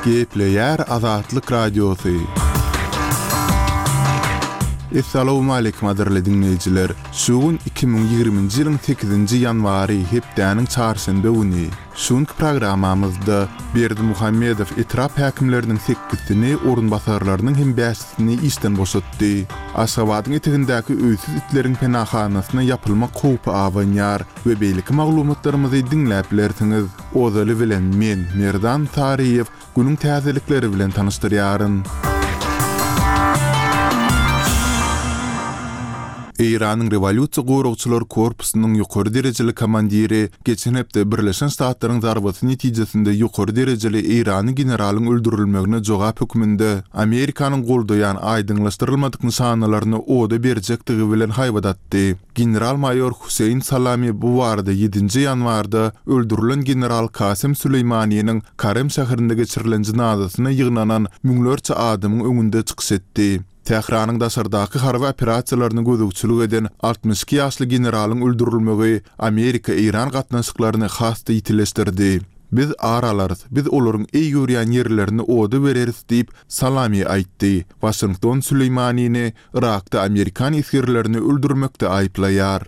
Gepleýär Azatlyk Radiosy. Essalawmaleýkim gadyrly diňleýjiler! Şu gün 2020-nji ýylyň sekizinji ýanwary, hepdäniň çarşenbe güni. Şu günki programmamyzda Berdimuhamedow etrap häkimleriniň sekizsini, orunbasarlarynyň hem bäşisini işden boşatdy. Aşgabadyň etegindäki öýsüz itleriň penahanasyna ýapylmak howpy abanýar we beýleki maglumatlarymyzy diňläp bilersiňiz. Ozaly bilen men, Merdan Saryýew, Günüň täzelikleri bilen tanyşdyrýaryn. Eýranyň Rewolýusiýa goragçylar korpusynyň ýokary derejeli komandiri geçen hepde Birleşen Ştatlaryň zarbasy netijesinde ýokary derejeli eýranly generalyň öldürilmegine jogap hökmünde Amerikanyň goldaýan aýdyňlaşdyrylmadyk nyşanalaryny oda berjekdigi bilen haýbat atdy. General-maýor Hüseýin Salami bu barada ýedinji ýanwarda öldürilen general Kasem Süleýmaniniň Karem şäherinde geçirilen jynazasyna ýygnanan müňlerçe adamyň öňünde çykyş etdi. Tähranyň daşardaky harby operasiýalaryna gözegçilik eden 62 ýaşly generalyň öldürilmegi Amerika-Eýran gatnaşyklaryny has-da ýitileşdirdi. Biz ar alarys, biz olaryň eý görýän ýerlerini oda bereris diýip, Salami aýtdy. Waşington Süleýmanini Yrakda amerikan esgerlerini öldürmekde aýyplaýar.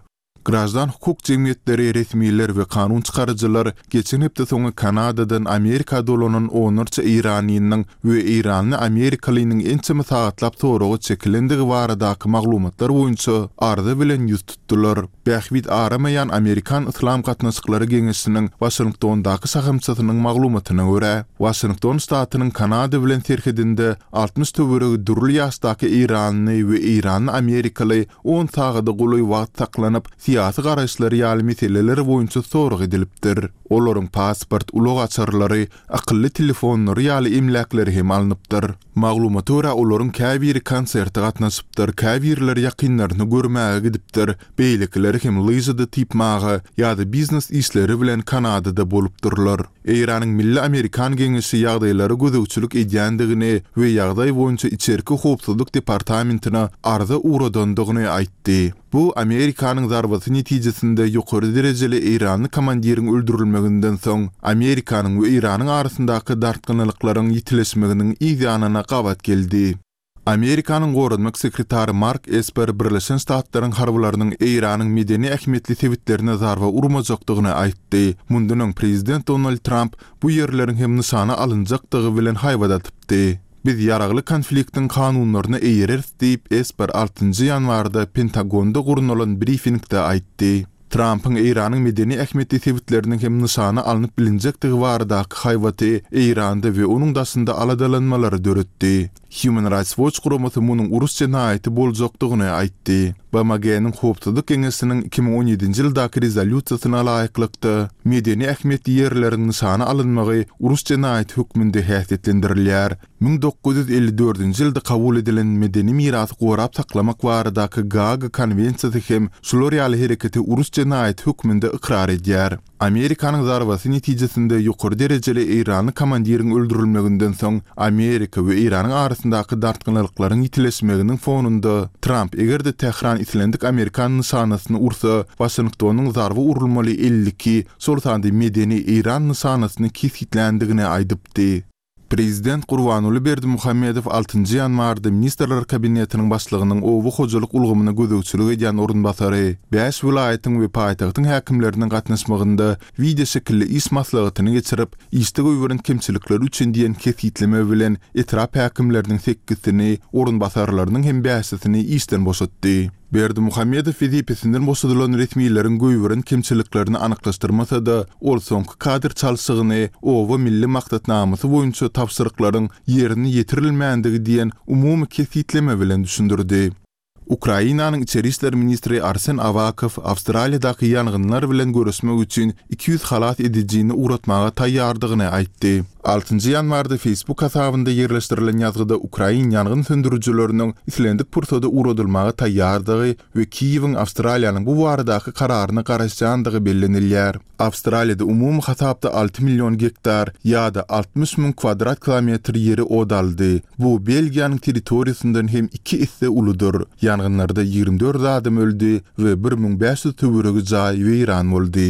Graždan hukuk jemgyýetleri, resmiler we kanun çykaryjylar geçen hepde soňy Kanadadan Amerika dolanan onlarça eýranlynyň we eýranly amerikalynyň ençeme sagatlap soraga çekilendigi baradaky maglumatlar boýunça arza bilen ýüz tutdular. Bähbit aramaýan Amerikan Yslam gatnaşyklary geňeşiniň Waşingtondaky şahamçasynyň maglumatyna görä, Waşington ştatynyň Kanada bilen serhedinde 60 töweregi dürli ýaşdaky eýranly we eýranly amerikaly on sagada golaý wagt saklanyp, syýasy garaýyşlary ýaly meseleler boýunça sorag edilipdir. Olaryň pasport, ulag açarlary, akylly telefonlary ýaly emläkleri hem alnypdyr. Maglumata görä, olaryň käbiri konserte gatnaşypdyr, käbirleri ýakynlaryny görmäge gidipdir, beýlekileri hem lyžada typmaga ýa-da biznes işleri bilen Kanadada bolupdyrlar. Eýranyň Milli Amerikan Geňeşi ýagdaýlara gözegçilik edýändigini we ýagdaý boýunça Içerki howpsuzlyk departamentine arza ugradandygyny aýtdy. Bu Amerikanyň zarbasy netijesinde ýokary derejeli eýranly komandiriň öldürilmeginden soň, Amerikanyň we Eýranyň arasyndaky dartgynlyklaryň ýitileşmeginiň yz ýanyna gabat geldi. Amerikanyň goranmak sekretary Mark Esper Birleşen Ştatlaryň harbylarynyň Eýranyň medeni ähmiýetli sebitlerine zarba urmajakdygyny aýtdy. Mundan öň prezident Donald Tramp bu ýerleriň hem nyşana alynjakdygy bilen haýbat atypdy. Biz ýaragly konfliktiň kanunlaryna eýereris diýip, Esper altynjy ýanwarda Pentagonda gurnalan brifingde aýtdy. Trampyň Eýranyň medeni ähmiýetli sebitleriniň hem nyşana alnyp bilinjekdigi baradaky haýbaty Eýranda we onuň daşynda aladalanmalary döretdi. Human Rights Watch guramasy munuň uruş jenaýaty boljakdygyny aýtdy. BMG-niň Howpsuzlyk Geňeşiniň 2017-nji ýyldaky rezolýusiýasyna laýyklykda, medeni ähmiýetli ýerleriň nyşana alynmagy uruş jenaýaty hökmünde häsiýetlendirilýär. 1954-nji ýylda kabul edilen Medeni mirasy gorap saklamak baradaky Gaaga konwensiýasy hem şular ýaly hereketi uruş jenaýaty hökmünde ykrar edýär. Amerikanyň zarbasy netijesinde ýokary derejeli eýranly komandiriň öldürilmeginden soň Amerika we Eýranyň arasyndaky dartgynlyklaryň ýitileşmeginiň fonunda Tramp eger-de Tähran islendik amerikan nyşanasyny ursa, Waşingtonyň zarba urulmaly 52, şol sanda medeni eýran nyşanasyny kesgitländigini aýdypdy. Prezident Gurbanguly Berdimuhamedow altynjy ýanwarda Ministrler Kabinetiniň Başlygynyň oba hojalyk ulgamyna gözegçilik edýän orunbasary, bäş welaýatyň we paýtagtyň häkimleriniň gatnaşmagynda wideoşekilli iş maslahatyny geçirip, işde goýberen kemçilikleri üçin diýen kesgitleme bilen etrap häkimleriniň sekizsini, orunbasarlarynyň hem bäşisini işden boşatdy. Berdimuhamedow wezipesinden boşadylan resmileriň goýberen kemçiliklerini anyklaşdyrmasa-da, ol soňky kadr çalşygyny Oba milli maksatnamasy boýunça tabşyryklaryň ýerine ýetirilmändigi diýen umumy kesgitleme bilen düşündirdi. Ukrainanyň içeri işler ministri Arsen Awakow Awstraliýadaky ýangynlar bilen göreşmek üçin 200 halas edijini ugratmaga taýýardygyny aýtdy. Altynjy ýanwarda Facebook hasabynda ýerleşdirilen ýazgyda ukrain ýangyn söndürijileriniň islendik pursada ugradylmaga taýýardygy we Kiýewiň Awstraliýanyň bu baradaky kararyna garaşýandygy bellenilýär. Awstraliýada umumy hasapda 6 million gektar ýa-da 60 müň kwadrat kilometr ýeri ot aldy. Bu Belgiýanyň territoriýasyndan hem iki esse uludyr. Ýangynlarda 24 adam öldi we 1500 töweregi jaý weýran boldy.